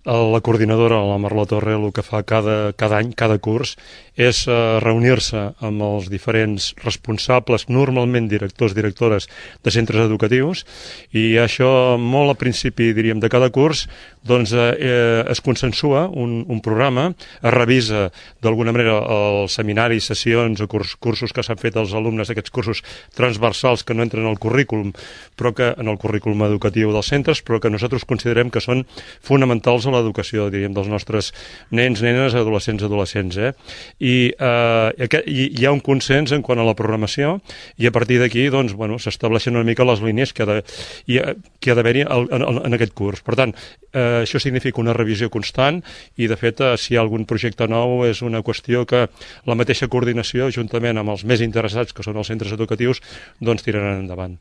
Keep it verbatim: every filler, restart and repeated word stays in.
La coordinadora, la Marló Torre, el que fa cada, cada any, cada curs, és uh, reunir-se amb els diferents responsables, normalment directors, directores de centres educatius, i això molt al principi, diríem, de cada curs, doncs eh, es consensua un, un programa, es revisa d'alguna manera els seminaris, sessions o curs, cursos que s'han fet als alumnes, aquests cursos transversals que no entren al currículum, però que en el currículum educatiu dels centres, però que nosaltres considerem que són fonamentals a l'educació, diríem, dels nostres nens, nenes, adolescents, adolescents, eh? I, eh, i hi ha un consens en quant a la programació, i a partir d'aquí, doncs, bueno, s'estableixen una mica les línies que ha de, i, que ha d'haver-hi en, en aquest curs. Per tant, eh, això significa una revisió constant, i de fet, eh, si hi ha algun projecte nou, és una qüestió que la mateixa coordinació, juntament amb els més interessats, que són els centres educatius, doncs tiraran endavant.